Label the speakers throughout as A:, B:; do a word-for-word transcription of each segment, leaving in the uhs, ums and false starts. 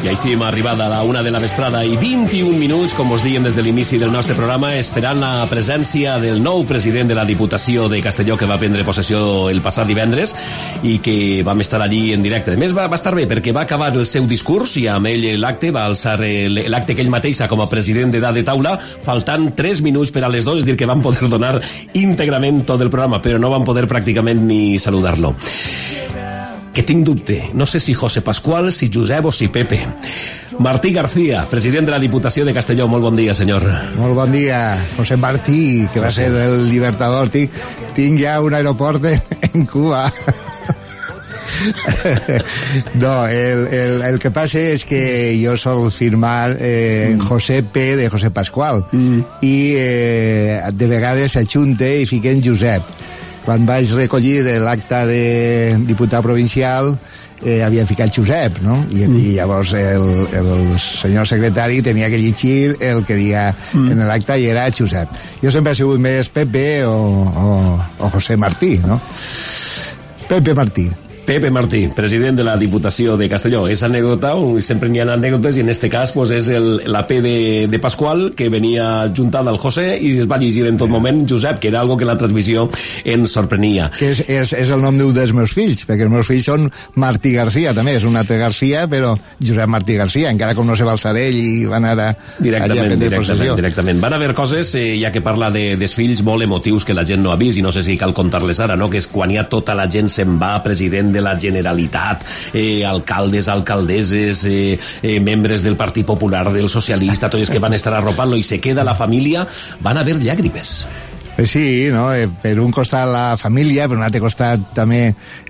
A: I així hem arribat a la una de la vesprada i vint-i-un minuts, com us diem des de l'inici del nostre programa, esperant la presència del nou president de la Diputació de Castelló, que va prendre possessió el passat divendres i que vam estar allí en directe. A més, va, va estar bé perquè va acabar el seu discurs i amb ell l'acte, va alçar l'acte que ell mateixa com a president d'edat de taula, faltant tres minuts per a les dues, és dir, que van poder donar íntegrament tot el programa, però no van poder pràcticament ni saludar-lo. Que tinc dubte, no sé si José Pascual, si Josep o si Pepe. Martí García, president de la Diputació de Castelló, molt bon dia, senyor.
B: Molt bon dia, José Martí, que va ser el Libertador. Tinc, tinc ja un aeroport en Cuba. No, el, el, el que passa és que jo sol firmar eh, mm. José P de José Pascual mm. i eh, de vegades s'ajunte i fiquen Josep. Quan vaig recollir l'acte de diputat provincial eh, havia ficat Josep, no? I, mm. i llavors el, el senyor secretari tenia que llegir el que dia mm. en l'acte i era Josep. Jo sempre he sigut més Pepe o, o, o José Martí, no? Pepe Martí.
A: Pepe Martí, president de la Diputació de Castelló. És anècdota, sempre n'hi ha anècdotes, i en este cas pues, és el, la P de, de Pascual, que venia juntada al José i es va llegir en tot moment Josep, que era algo que la transmissió ens sorprenia.
B: Que és, és, és el nom d'un dels meus fills, perquè els meus fills són Martí García, també, és un altre García, però Josep Martí García, encara com no se va alçar ell i van anar a,
A: directament,
B: a prendre
A: directament,
B: possessió.
A: Directament. Van haver coses, eh, ja que parla de, dels fills, molt emotius que la gent no ha vist, i no sé si cal contar-les ara, no? Que és quan ja tota la gent se'n va, president de la Generalitat, Eh, alcaldes, alcaldesses, eh, eh, membres del Partit Popular, del Socialista, tots que van estar arropant-lo i se queda la família, van haver llàgrimes.
B: Sí, no? Eh, per un costat la família, per un altre costat també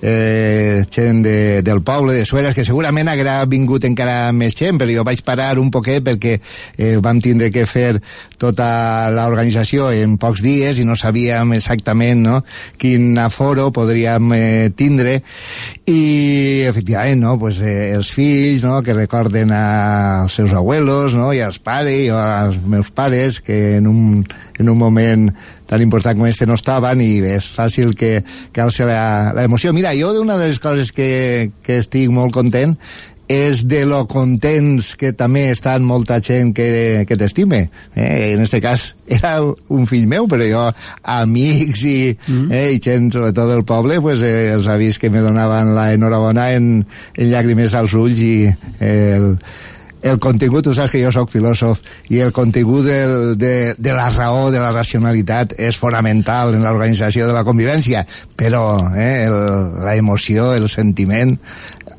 B: eh, gent de, del poble, de Sueres, que segurament haguera vingut encara més gent, però jo vaig parar un poquet perquè eh, vam tindre que fer tota l'organització en pocs dies i no sabíem exactament, no?, quin aforo podríem eh, tindre, i efectivament, no?, pues, eh, els fills, no?, que recorden als seus abuelos, no?, i als pares, i als meus pares, que en un, en un moment tan important com este no estaven, i és fàcil que, que alça l'emoció. Mira, jo una de les coses que, que estic molt content és de lo contents que també estan molta gent que, que t'estime. Eh? En este cas era un fill meu, però jo, amics i, mm. eh, i gent, sobretot del poble, pues, eh, els ha vist que me donaven la enhorabona en, en llàgrimes als ulls, i eh, el el contingut, tu saps que jo soc filòsof, i el contingut del, de, de la raó, de la racionalitat, és fonamental en l'organització de la convivència, però eh, el, la emoció, el sentiment,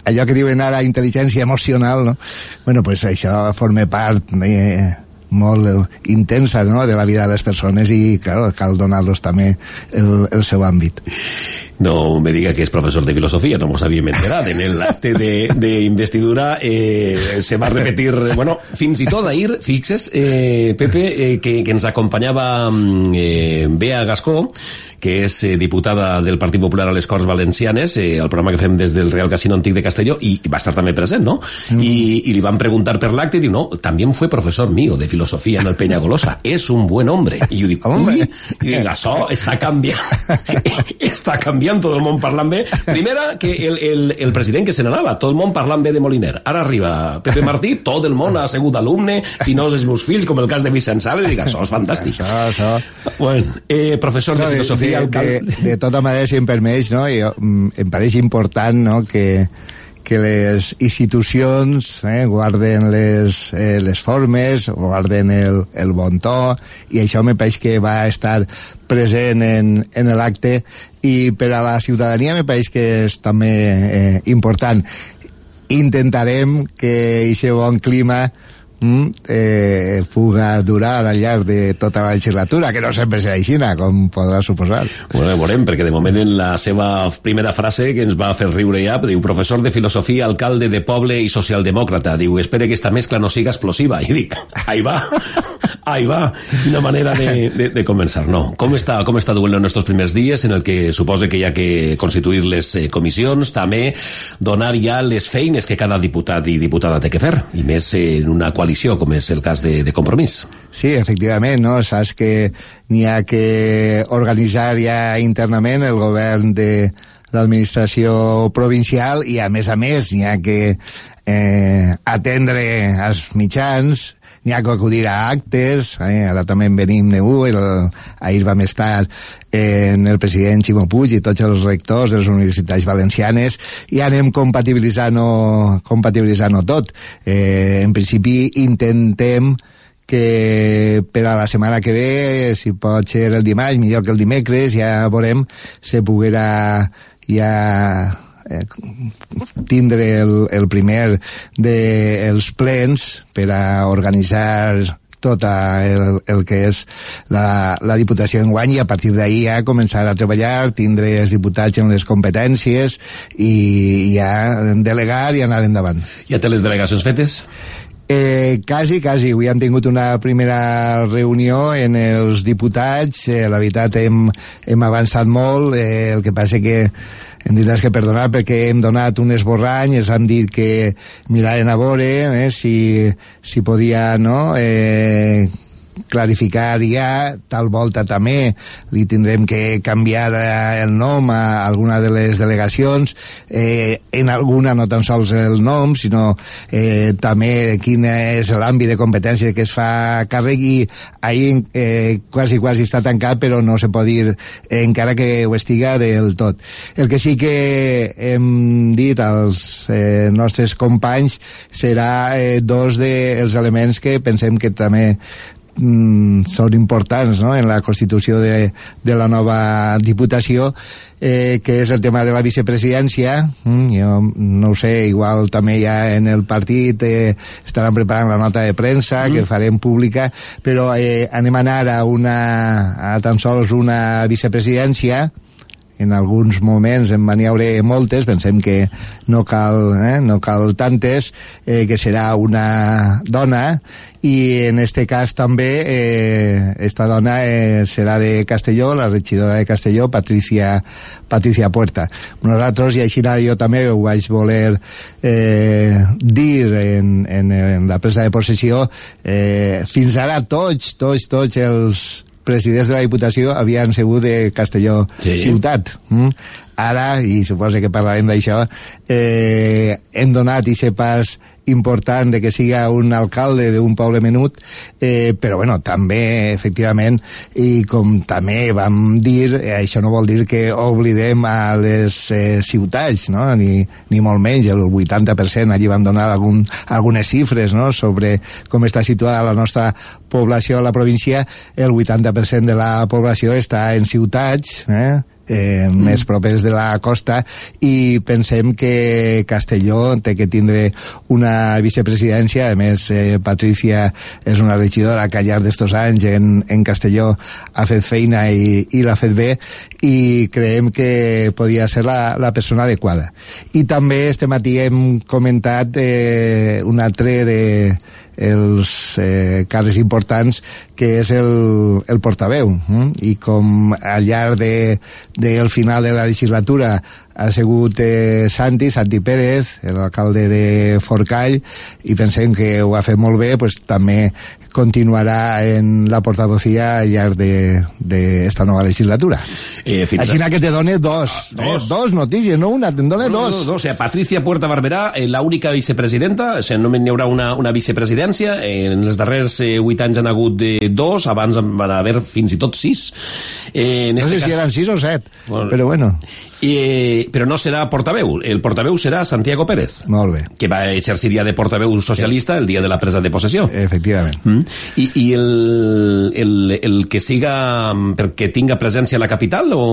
B: allò que diuen ara intel·ligència emocional, no? Bueno, pues això forma part eh, molt intensa, no?, de la vida de les persones, i claro, cal donar-los també el, el seu àmbit.
A: No me diga que es profesor de filosofía, no nos habíem enterat. En el acte de, de investidura eh, se va repetir, bueno, fins i tot ahir, fixes, eh, Pepe, eh, que, que ens acompanyava eh, Bea Gascó, que és eh, diputada del Partit Popular a les Corts Valencianes, eh, el programa que fem des del Real Casino Antic de Castelló, i va estar també present, no? Mm. I, i li van preguntar per l'acte, i diu, no, també fue profesor mío de filosofía en el Peñagolosa, es un buen hombre. I jo dic, ui, i dic, això està canviant, està canviant, tot el món parlant bé. Primera, que el, el, el president que se n'anava, tot el món parlant bé de Moliner. Ara arriba Pepe Martí, tot el món ha sigut alumne, si no els meus fills, com el cas de Vicent Sales, i dic, això és fantàstic.
B: Això, això.
A: Bueno, eh, professor no, de filosofia...
B: De, de, de, de tota manera, si em permeix, no? Jo, em pareix important, no?, que que les institucions eh, guarden les, eh, les formes, guarden el, el bon to, i això me pareix que va estar present en, en l'acte, i per a la ciutadania me pareix que és també eh, important. Intentarem que aquest bon clima Mm, eh, puga durar al llarg de tota la legislatura, que no sempre serà així, com podrà suposar.
A: Bueno, veurem, perquè de moment en la seva primera frase, que ens va fer riure ja, diu, professor de filosofia, alcalde de poble i socialdemòcrata, diu, espere que esta mescla no siga explosiva, i dic, ahí va, ahí va, una manera de, de, de començar, no? Com està, com està duent en estos primers dies, en el que suposa que hi ha que constituir les eh, comissions, també donar ja les feines que cada diputat i diputada té que fer, i més eh, en una coalició, com és el cas de, de Compromís.
B: Sí, efectivament, no? Saps que n'hi ha que organitzar ja internament el govern de l'administració provincial, i a més a més n'hi ha que eh, atendre els mitjans, n'hi ha que acudir a actes, eh? Ara també en venim de U, el, ahir vam estar en el president Ximo Puig i tots els rectors de les universitats valencianes i anem compatibilitzant-ho compatibilitzant-ho tot. Eh, en principi intentem que per a la setmana que ve, si pot ser el dimarts, millor que el dimecres, ja veurem, se poguera ja eh, tindre el, el primer dels plens per a organitzar tota el, el que és la, la Diputació d'enguany i a partir d'ahir ja començar a treballar, tindre els diputats en les competències i ja delegar i anar endavant.
A: Ja té les delegacions fetes?
B: Eh, quasi, quasi. Avui hem tingut una primera reunió en els diputats. Eh, la veritat, hem, hem avançat molt. Eh, el que passa que hem dit que perdonar perquè hem donat un esborrany, ens han dit que miraren a veure eh, si, si podia, no?, eh, clarificar ja, tal volta també li tindrem que canviar el nom a alguna de les delegacions, eh, en alguna no tan sols el nom, sinó eh, també quin és l'àmbit de competència que es fa càrrec i ahir eh, quasi quasi està tancat però no se pot dir eh, encara que ho estiga del tot. El que sí que hem dit als eh, nostres companys serà eh, dos dels elements que pensem que també Mm, són importants, no?, en la constitució de, de la nova Diputació, eh, que és el tema de la vicepresidència. Mm, jo no ho sé, igual també ja en el partit eh, estaran preparant la nota de premsa mm. que farem pública, però eh, anem a anar a una a tan sols una vicepresidència. En alguns moments en van hi haure moltes, pensem que no cal, eh, no cal tantes, eh, que serà una dona, i en este cas també eh, esta dona eh, serà de Castelló, la regidora de Castelló, Patricia, Patricia Puerta. Nosaltres, i així jo també ho vaig voler eh, dir en, en, en la presa de possessió, eh, fins ara tots, tots, tots els presidents de la Diputació havien sigut de Castelló sí. ciutat. Mm? Ara, i suposo que parlarem d'això, eh, hem donat i pas important de que siga un alcalde d'un poble menut, eh, però bueno, també, efectivament, i com també vam dir, eh, això no vol dir que oblidem a les eh, ciutats, no?, ni, ni molt menys, el vuitanta per cent, allí vam donar algun, algunes xifres, no?, sobre com està situada la nostra població a la província. El vuitanta per cent de la població està en ciutats, eh?, Eh, mm. més propers de la costa, i pensem que Castelló té que tindre una vicepresidència. A més, eh, Patricia és una regidora que al llarg d'estos anys en, en Castelló ha fet feina i, i l'ha fet bé, i creiem que podia ser la, la persona adequada. I també este matí hem comentat eh, un altre de els eh, càrrecs importants, que és el, el portaveu, eh? I com al llarg de, del final de la legislatura ha sigut eh, Santi, Santi Pérez, l'alcalde de Forcall, i pensem que ho ha fet molt bé, pues, també continuarà en la portavocía al llarg d'esta nova legislatura. Eh, Així a... que te done dos, ah, dos. Eh, dos notícies, no una, te'n done no, dos.
A: No, no, o sea, Patricia Puerta Barberà, eh, la única vicepresidenta, o sea, només n'hi haurà una, una vicepresidència, eh, en els darrers eh, vuit anys han hagut de dos, abans van haver fins i tot sis. Eh, en
B: no
A: este
B: sé
A: cas...
B: si eren sis o set, bueno, però bueno.
A: Eh, però no serà portaveu, el portaveu serà Santiago Pérez.
B: Molt bé.
A: Que va exercir ja de portaveu socialista el dia de la presa de possessió.
B: Efectivament.
A: Mm. I, i el, el, el que siga perquè tinga presència a la capital, o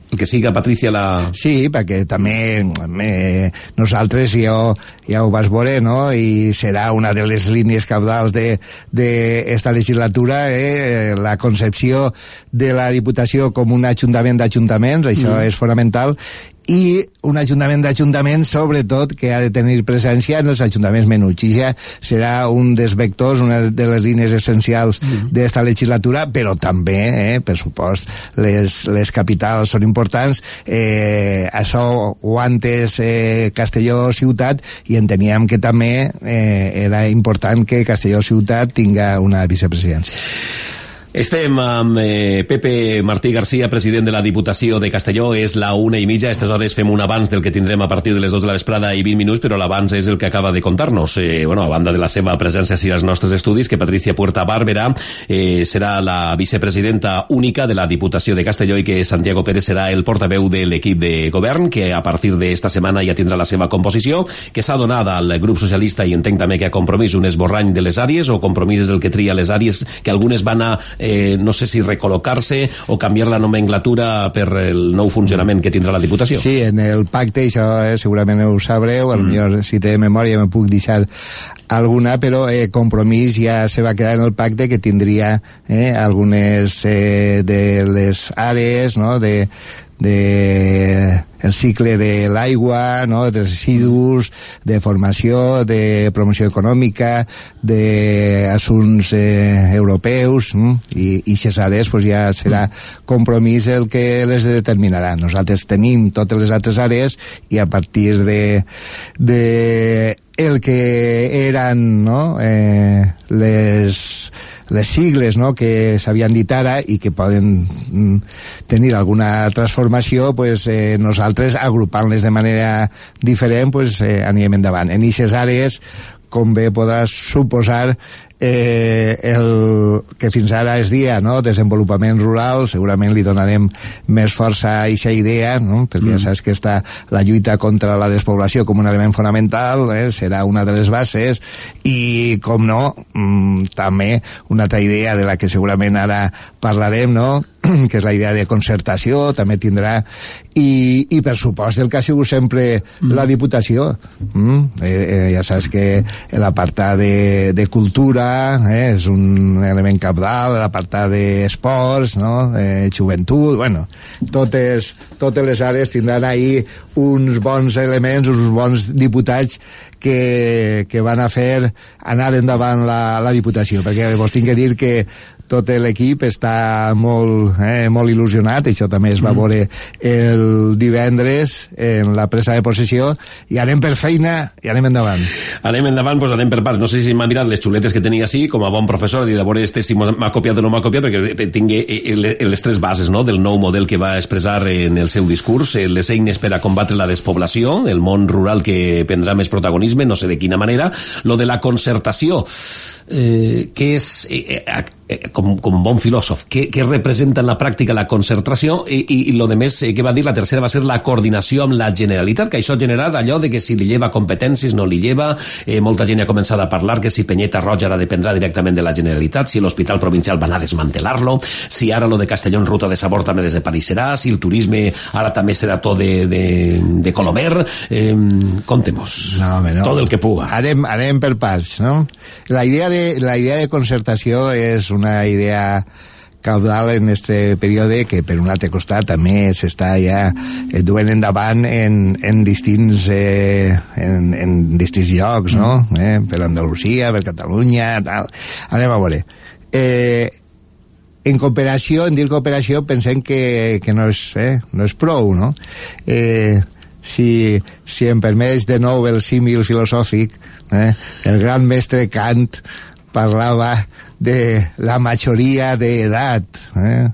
A: el que siga Patricia la...
B: Sí, perquè també eh, nosaltres jo, ja ho vas veure, no?, i serà una de les línies cabdals d'esta de, de legislatura, eh, la concepció de la Diputació com un ajuntament d'ajuntaments, això mm. és fonamental, i un ajuntament d'ajuntaments, sobretot, que ha de tenir presència en els ajuntaments menuts. I ja serà un dels vectors, una de les línies essencials mm. d'esta legislatura, però també, eh, per supost, les, les capitals són importants. Eh, això ho antes eh, Castelló ciutat, i enteníem que també eh, era important que Castelló ciutat tinga una vicepresidència.
A: Estem amb eh, Pepe Martí García, president de la Diputació de Castelló. És la una i mitja. A aquestes hores fem un abans del que tindrem a partir de les dos de la vesprada i vint minuts, però l'abans és el que acaba de contar-nos. Eh, bueno, a banda de la seva presència així als nostres estudis, que Patricia Puerta Bàrbara eh, serà la vicepresidenta única de la Diputació de Castelló i que Santiago Pérez serà el portaveu de l'equip de govern, que a partir d'esta setmana ja tindrà la seva composició, que s'ha donat al grup socialista i entenc també que a Compromís un esborrany de les àrees, o Compromís és el que tria les àrees, que algunes van a Eh, no sé si recol·locar-se o canviar la nomenclatura per el nou funcionament que tindrà la Diputació.
B: Sí, en el pacte, això eh, segurament ho sabreu, mm. potser si té memòria me puc deixar alguna, però eh, Compromís ja se va quedar en el pacte que tindria eh, algunes eh, de les àrees, no?, de de el cicle de l'aigua, no?, de residus, de formació, de promoció econòmica, d'assumptes eh, europeus, mm? i aquestes àrees pues, ja serà Compromís el que les determinarà. Nosaltres tenim totes les altres àrees i a partir de, de el que eren, no?, eh, les les sigles, no?, que s'havien dit ara i que poden mm, tenir alguna transformació, pues, eh, nosaltres agrupant-les de manera diferent pues, eh, anirem endavant. En aquestes àrees, com bé podràs suposar, eh, el que fins ara es dia, no?, desenvolupament rural, segurament li donarem més força a aquesta idea, no?, perquè mm. ja saps que està la lluita contra la despoblació com un element fonamental, eh, serà una de les bases, i com no, mm, també una altra idea de la que segurament ara parlarem, no?, que és la idea de concertació, també tindrà, i, i per supost el que ha sigut sempre mm. la Diputació. Mm? Eh, eh, ja saps que l'apartat de, de cultura eh, és un element cabdal, l'apartat d'esports, no?, eh, joventut, bueno, totes, totes les àrees tindran ahir uns bons elements, uns bons diputats que, que van a fer anar endavant la, la Diputació, perquè vos tinc que dir que tot l'equip està molt, eh, molt il·lusionat, això també es va veure el divendres en la presa de possessió, i anem per feina i anem endavant.
A: Anem endavant, doncs anem per parts. No sé si m'ha mirat les xuletes que tenia així, com a bon professor, i de veure este si m'ha copiat o no m'ha copiat, perquè tingui les tres bases, no?, del nou model que va expressar en el seu discurs, les eines per a combatre la despoblació, el món rural que prendrà més protagonisme, no sé de quina manera, lo de la concertació, eh, que és... Eh, eh, com, com bon filòsof, què, què representa en la pràctica la concertació, i, i, i lo de més eh, que va dir, la tercera va ser la coordinació amb la Generalitat, que això ha generat allò de que si li lleva competències, no li lleva, eh, molta gent ha començat a parlar que si Penyeta Roja ara dependrà directament de la Generalitat, si l'Hospital Provincial van a desmantelar-lo, si ara lo de Castelló en Ruta de Sabor també desapareixerà, si el turisme ara també serà tot de, de, de Colomer, eh, contem-nos
B: no, home, no.
A: tot el que puga.
B: Anem, anem per parts, no? La idea de, la idea de concertació és una idea caudal en este període que per un altre costat també s'està ja duent endavant en, en distints eh, en, en distints llocs, no? Eh, per Andalusia, per Catalunya, tal. Anem a veure. Eh, en cooperació, en dir cooperació, pensem que, que no, és, eh, no és prou, no? Eh, si, si em permets de nou el símil filosòfic, eh, el gran mestre Kant parlava de la majoria d'edat, eh?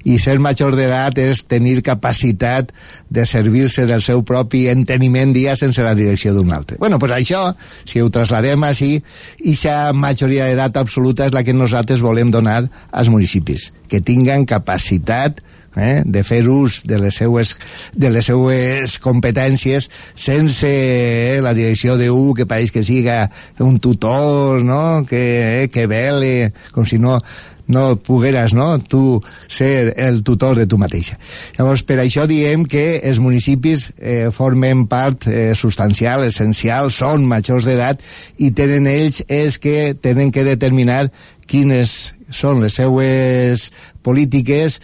B: I ser major d'edat és tenir capacitat de servir-se del seu propi enteniment dia sense la direcció d'un altre. Bueno, pues això, si ho trasladem així, aquesta majoria d'edat absoluta és la que nosaltres volem donar als municipis, que tinguen capacitat eh, de fer ús de les seues, de les seues competències sense eh, la direcció d'un que pareix que siga un tutor, no?, que, eh, que vele, com si no no pogueres, no?, tu ser el tutor de tu mateixa. Llavors, per això diem que els municipis eh, formen part eh, substancial, essencial, són majors d'edat i tenen ells és que tenen que determinar quines són les seues polítiques,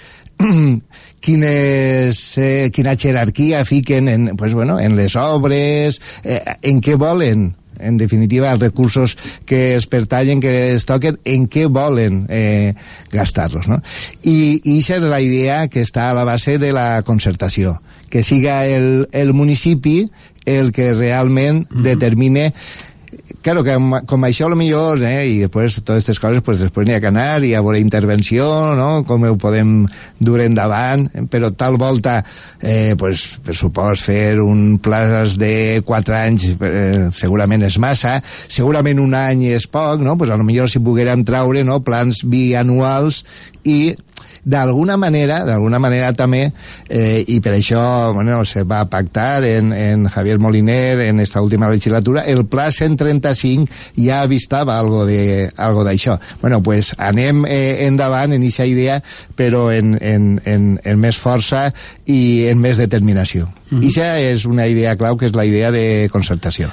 B: quines, eh, quina jerarquia fiquen en, pues, bueno, en les obres, eh, en què volen, en definitiva, els recursos que es pertallen, que es toquen, en què volen eh, gastar-los, no? I, i això és la idea que està a la base de la concertació, que siga el, el municipi el que realment mm-hmm. determine claro, que com això lo millor, eh, i després totes aquestes coses, pues després n'hi ha que anar i a veure intervenció, no?, com ho podem dur endavant, però tal volta, eh, pues, per supòs, fer un plaç de quatre anys eh, segurament és massa, segurament un any és poc, no?, pues a lo millor si poguérem traure, no?, plans bianuals i d'alguna manera, d'alguna manera també, eh, i per això, bueno, se va pactar en, en Javier Moliner en esta última legislatura, el pla cent trenta-cinc ja avistava algo de, algo d'això. Bueno, pues anem eh, endavant en aquesta idea, però en, en, en, en més força i en més determinació. Mm-hmm. I això és una idea clau, que és la idea de concertació.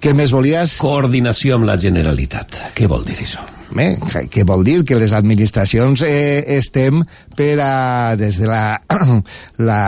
B: Què més volies?
A: Coordinació amb la Generalitat. Què vol dir això?
B: Eh, què vol dir? Que les administracions eh, estem per a, des de la, la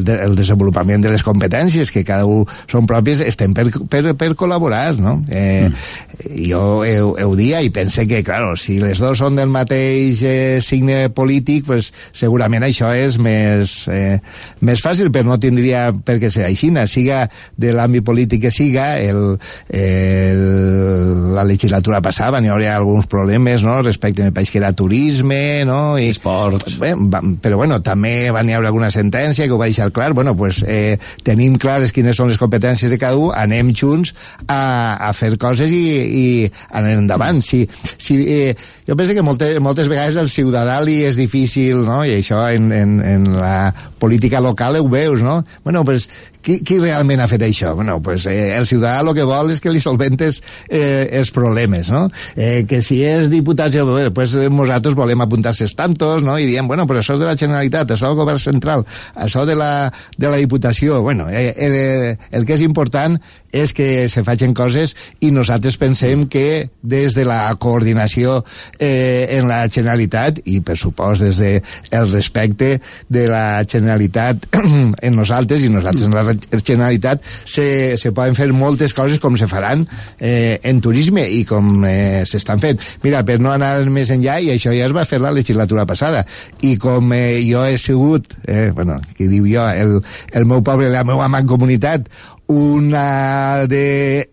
B: de, el desenvolupament de les competències que cada un són pròpies, estem per, per, per col·laborar, no? Eh, mm. Jo ho, ho dia i pense que, claro, si les dos són del mateix eh, signe polític, pues segurament això és més, eh, més fàcil, però no tindria per què ser així, siga de l'àmbit polític que siga, el, el, la legislatura passava, n'hi hauria alguns problemes, no?, respecte a país que era turisme, no?, i
A: esports.
B: Bé, va, però bueno, també van hi haver alguna sentència que ho va deixar clar. Bueno, pues eh, tenim clares quines són les competències de cada un, anem junts a, a fer coses i, i anem endavant. Si, si, eh, jo penso que moltes, moltes vegades el ciutadà li és difícil, no?, i això en, en, en la política local ho veus, no? Bueno, pues qui, qui realment ha fet això? Bueno, pues eh, el ciutadà el que vol és que li solventes eh, els problemes, no? Eh, que si és diputat, pues nosaltres volem apuntar-se tantos, no?, i diem, bueno, però això és de la Generalitat, això del govern central, això de la, de la Diputació. Bueno, eh, eh, el que és important és que se facin coses i nosaltres pensem que des de la coordinació eh, en la Generalitat i, per supost, des de el respecte de la Generalitat en nosaltres i nosaltres en la Generalitat se, se poden fer moltes coses com se faran eh, en turisme i com eh, s'estan fent. Mira, per no anar més enllà, i això ja es va fer la legislatura passada, i com eh, jo he sigut, eh, bueno, que diu jo, el, el meu poble, la meva mancomunitat, una de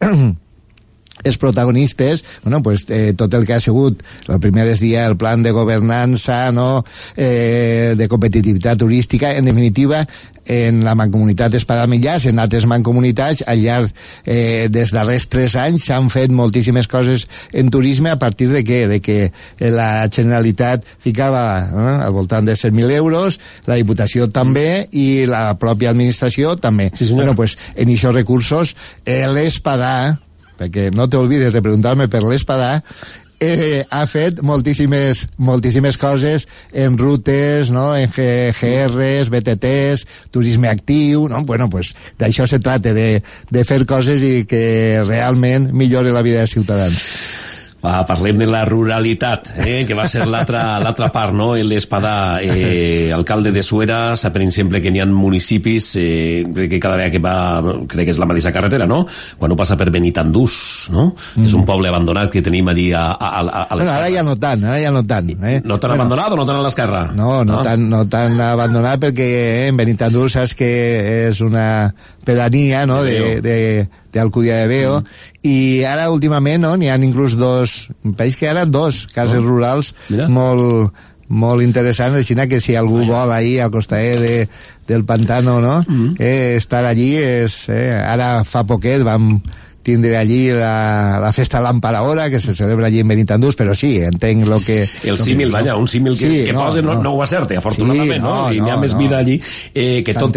B: els protagonistes, bueno, pues, eh, tot el que ha sigut el primer dia el plan de governança, no?, eh, de competitivitat turística, en definitiva, en la mancomunitat Espada-Millàs, en altres mancomunitats, al llarg eh, dels darrers tres anys s'han fet moltíssimes coses en turisme a partir de què? De que la Generalitat ficava eh, al voltant de cent mil euros, la Diputació també i la pròpia administració també.
A: Sí,
B: bueno, pues, en aquests recursos, eh, l'Espadà, perquè no t'olvides de preguntar-me per l'Espadà, eh, ha fet moltíssimes, moltíssimes coses en rutes, no?, en G Rs, B T Ts, turisme actiu, no? Bueno, pues d'això se trata, de, de fer coses i que realment millore la vida dels ciutadans.
A: Va, parlem de la ruralitat, eh, que va ser l'altra l'altra part, no? L'Espadà, eh, alcalde de Suera, sap, per exemple, que n'hi ha municipis, eh, crec que cada vegada que va, crec que és la mateixa carretera, no?, quan ho passa per Benitandús, no? Mm. És un poble abandonat que tenim allí a, a, a, a l'esquerra.
B: Bueno, ara ja no tant, ara ja no tant. Eh?
A: No tan bueno, abandonat o no tan a l'esquerra?
B: No, no, no, tan, no tan abandonat, perquè eh, en Benitandús saps que és una pedania, no?, de, de, de Alcúdia de Veo, mm. i ara últimament, no?, n'hi ha inclús dos, un país que ara dos cases oh. rurals Mira. molt molt interessants, així que si algú Ai. vol ahir al costat de, del pantano, no?, mm. eh, estar allí és, eh, ara fa poquet vam tindre allí la, la festa Lamparahora, que se celebra allí en Benitandús, però sí, entenc lo que...
A: El símil, vaja, un símil que, sí, que no, posa no, no, no ho acerte, afortunadament, sí, no, no? I n'hi ha no, més no. vida allí, eh, que tot...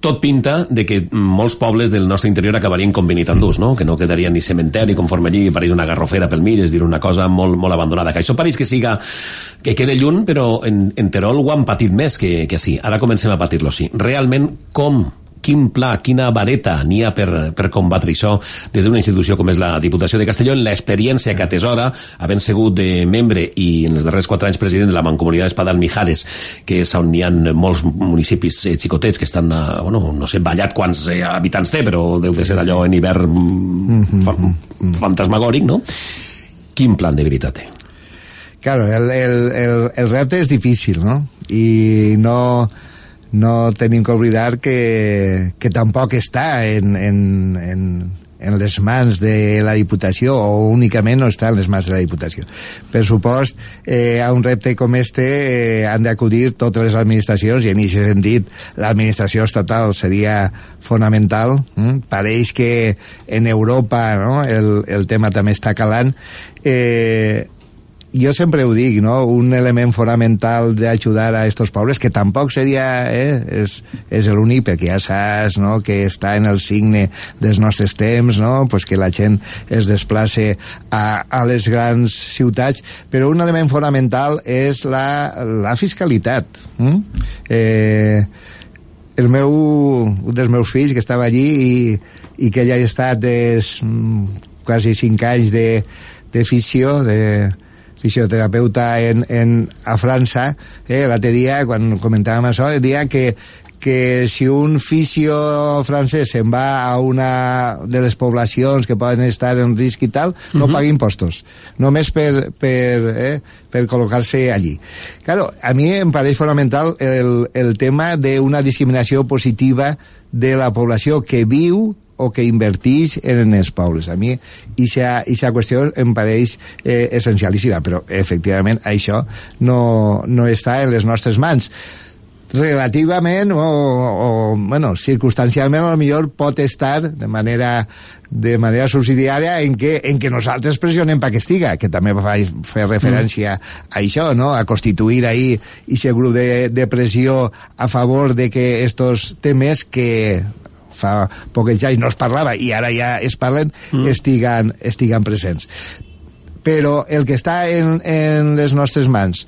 A: tot pinta de que molts pobles del nostre interior acabarien com Benitandús, no? Que no quedaria ni cementeri, conforme allí pareix una garrofera pel mig, és dir, una cosa molt, molt abandonada. Que això pareix que siga, que quede lluny, però en, en Terol ho han patit més que, que sí. Ara comencem a patir-lo, sí. Realment, com? Quin pla, quina vareta n'hi ha per, per combatre això des d'una institució com és la Diputació de Castelló, en l'experiència que atesora, havent sigut de membre i en els darrers quatre anys president de la Mancomunitat Espadà-Mijares, que és on hi ha molts municipis eh, xicotets que estan, eh, bueno, no sé, ballat quants eh, habitants té, però deu de ser d'allò en hivern fa, fantasmagòric, no? Quin plan de veritat té?
B: Claro, el, el, el, el repte és difícil, no? I no... no tenim que oblidar que, que tampoc està en, en, en, en les mans de la Diputació o únicament no està en les mans de la Diputació. Per supost, eh, a un repte com este eh, han d'acudir totes les administracions i en aquest sentit l'administració estatal seria fonamental. Mm? Pareix que en Europa, no?, el, el tema també està calant. Eh, jo sempre ho dic, no?, un element fonamental d'ajudar a estos pobles, que tampoc seria, eh, és, és l'únic, perquè ja saps, no?, que està en el signe dels nostres temps, no?, pues que la gent es desplace a, a les grans ciutats, però un element fonamental és la, la fiscalitat. Mm? Eh, el meu, un dels meus fills, que estava allí i, i que ja ha estat des, quasi cinc anys de, de fisio, de fisioterapeuta en, en, a França, eh, l'altre dia, quan comentàvem això, deia que, que si un fisio francès se'n va a una de les poblacions que poden estar en risc i tal, no uh-huh. paga impostos, només per, per, eh, per col·locar-se allí. Claro, a mi em pareix fonamental el, el tema d'una discriminació positiva de la població que viu o que inverteix en els pobles. A mi aquesta qüestió em pareix eh, essencialíssima, però efectivament això no, no està en les nostres mans. Relativament o, o bueno, circumstancialment a lo millor pot estar de manera de manera subsidiària en què, en què nosaltres pressionem perquè estiga, que també va fer referència mm. a això, no?, a constituir ahí aquest grup de, de pressió a favor de que estos temes que fa pocs anys no es parlava i ara ja es parlen, mm. estiguen, estiguen presents. Però el que està en, en les nostres mans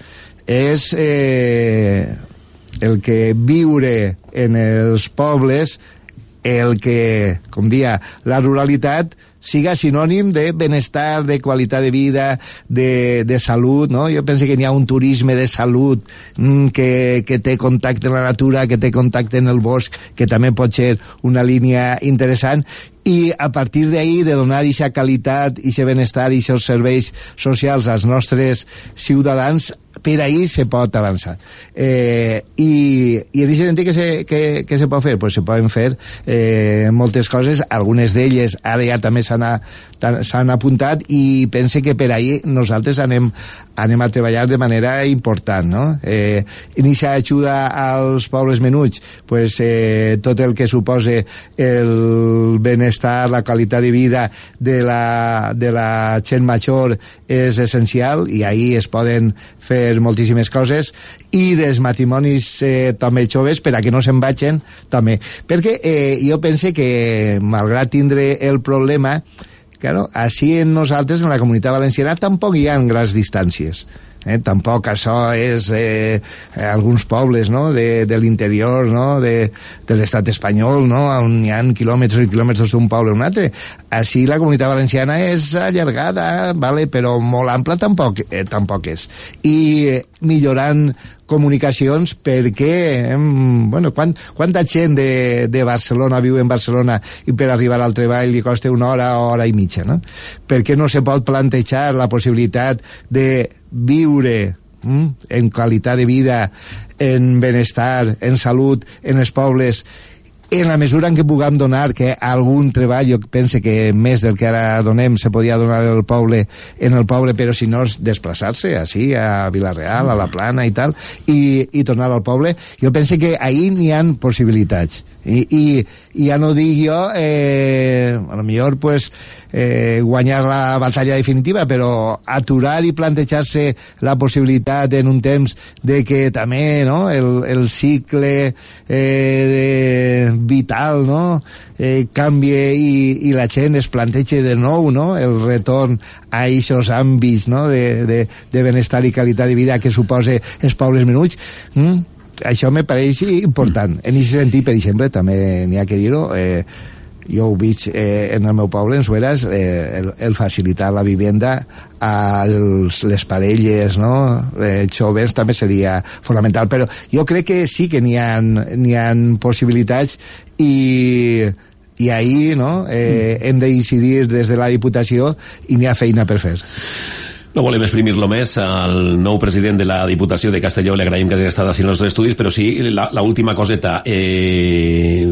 B: és eh, el que viure en els pobles, el que, com dia, la ruralitat siga sinònim de benestar, de qualitat de vida, de, de salut, no? Jo penso que n'hi ha un turisme de salut mm, que, que té contacte amb la natura, que té contacte en el bosc, que també pot ser una línia interessant, i a partir d'ahí de donar aquesta qualitat, aquest benestar i aquests serveis socials als nostres ciutadans, per ahí se pot avançar. Eh, i, i en aquest sentit que se, que, que se pot fer? Pues se poden fer eh, moltes coses, algunes d'elles ara ja també s'han, s'han apuntat i pense que per ahí nosaltres anem, anem a treballar de manera important, no? Eh, en aquesta ajuda als pobles menuts, pues, eh, tot el que suposa el benestar, la qualitat de vida de la, de la gent major és essencial i ahí es poden fer moltíssimes coses, i dels matrimonis eh, també joves per a que no se'n vagin també, perquè eh, jo pense que malgrat tindre el problema, claro, així en nosaltres en la Comunitat Valenciana tampoc hi ha grans distàncies. Eh, tampoc això és eh, alguns pobles, no?, de, de l'interior, no?, de, de l'estat espanyol, no?, on hi ha quilòmetres i quilòmetres d'un poble a un altre. Així la Comunitat Valenciana és allargada, vale, però molt ampla tampoc, eh, tampoc és. I eh, millorant comunicacions perquè eh, bueno, quant, quanta gent de, de Barcelona viu en Barcelona i per arribar al treball li costa una hora o hora i mitja, no? Per què no se pot plantejar la possibilitat de viure mm, en qualitat de vida, en benestar, en salut, en els pobles, en la mesura en què puguem donar que algun treball, jo penso que més del que ara donem se podia donar al poble, en el poble, però si no és desplaçar-se així a Vila-real, a la Plana i tal, i, i tornar al poble, jo penso que ahir n'hi ha possibilitats. I, i, i ja no dic jo eh, a lo millor pues, eh, guanyar la batalla definitiva, però aturar i plantejar-se la possibilitat en un temps de que també, no?, el, el cicle eh, de, vital, no?, eh, canvie i, i la gent es planteja de nou, no?, el retorn a aquests àmbits, no?, de, de, de benestar i qualitat de vida que suposa els pobles menuts. Mm? Això me pareix important. En aquest sentit, per exemple, també n'hi ha que dir-ho, eh, jo ho veig eh, en el meu poble, en Sueras, eh, el, el facilitar la vivenda a els, les parelles, no?, eh, joves també seria fonamental, però jo crec que sí que n'hi ha, n'hi ha possibilitats i, i ahir, no?, eh, hem de decidir des de la Diputació i n'hi ha feina per fer.
A: No volem exprimir-lo més al nou president de la Diputació de Castelló, li agraïm que hagi estat així en els nostres estudis, però sí, la, la última coseta. Eh,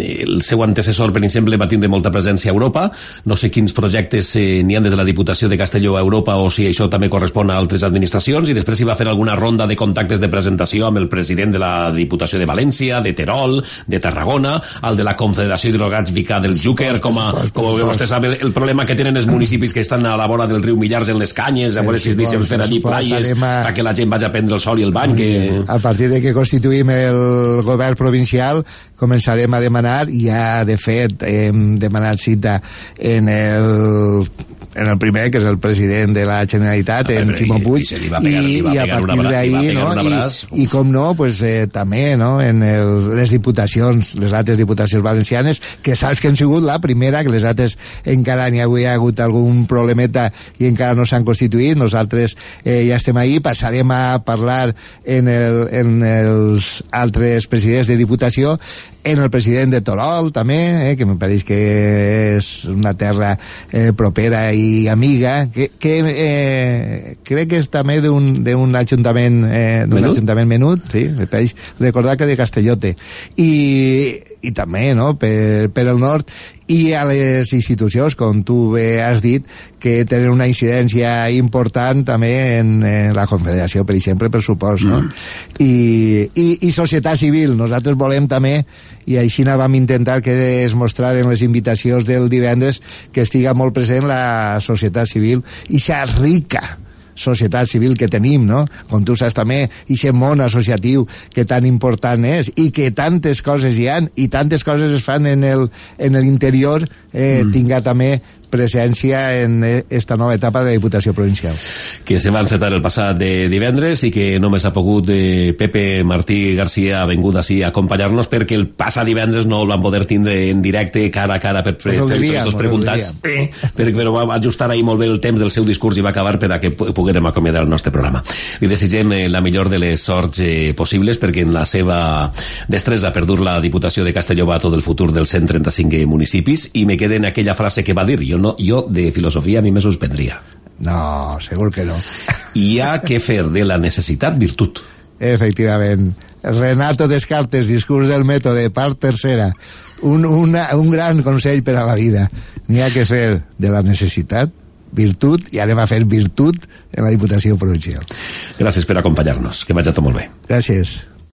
A: el seu antecessor, per exemple, va tindre molta presència a Europa. No sé quins projectes eh, n'hi ha des de la Diputació de Castelló a Europa o si això també correspon a altres administracions, i després hi va fer alguna ronda de contactes de presentació amb el president de la Diputació de València, de Terol, de Tarragona, el de la Confederació Hidrogràfica del Xúquer, com, a, com vostè sap, el, el problema que tenen els municipis que estan a la vora del riu Millars en les Canyes, a veure si es deixen fer allí plaies perquè la gent vagi a prendre el sol i el bany. Que...
B: A partir de que constituïm el govern provincial començarem a demanar, i ja de fet hem demanat cita en el, en el primer, que és el president de la Generalitat, en Ximo Puig, i, i, i a partir d'ahir, no? I, i com no, pues, eh, també no? En el, les diputacions, les altres diputacions valencianes, que saps que han sigut la primera, que les altres encara n'hi ha, ha hagut algun problemeta i encara no s'han constituït. Nosaltres eh, ja estem ahí, passarem a parlar en, el, en els altres presidents de diputació, en el president de Terol també, eh, que me pareix que és una terra eh, propera i amiga, que, que eh, crec que és també d'un ajuntament eh, d'un menut? ajuntament menut, sí, me pareix recordar que de Castellote, i, i també no, per, per el nord, i a les institucions, com tu bé has dit, que tenen una incidència important també en, en la Confederació, per exemple, per supost, no? Mm. I, i, i societat civil. Nosaltres volem també, i així vam intentar que es mostrar en les invitacions del divendres, que estiga molt present la societat civil, i xa rica societat civil que tenim, no? Com tu saps també, i aquest món associatiu que tan important és, i que tantes coses hi han, i tantes coses es fan en el, en l'interior, eh, mm. tinga també presència en esta nova etapa de la Diputació Provincial.
A: Que se va encetar el passat de divendres i que només ha pogut eh, Pepe Martí García ha vingut així a acompanyar-nos perquè el passat divendres no el van poder tindre en directe cara a cara per fer tots els preguntats, eh, però va ajustar ahir molt bé el temps del seu discurs i va acabar per a que poguérem acomiadar el nostre programa. Li desitgem eh, la millor de les sorts eh, possibles, perquè en la seva destresa per dur la Diputació de Castelló va tot el futur dels cent trenta-cinc municipis, i me queda en aquella frase que va dir, jo no, jo de filosofia a mi me suspendria.
B: No, segur que no.
A: Hi ha que fer de la necessitat virtut.
B: Efectivament. Renato Descartes, discurs del mètode, part tercera. Un, una, un gran consell per a la vida. N'hi ha que fer de la necessitat virtut, i anem a fer virtut en la Diputació Provincial.
A: Gràcies per acompanyar-nos. Que vagi tot molt bé.
B: Gràcies.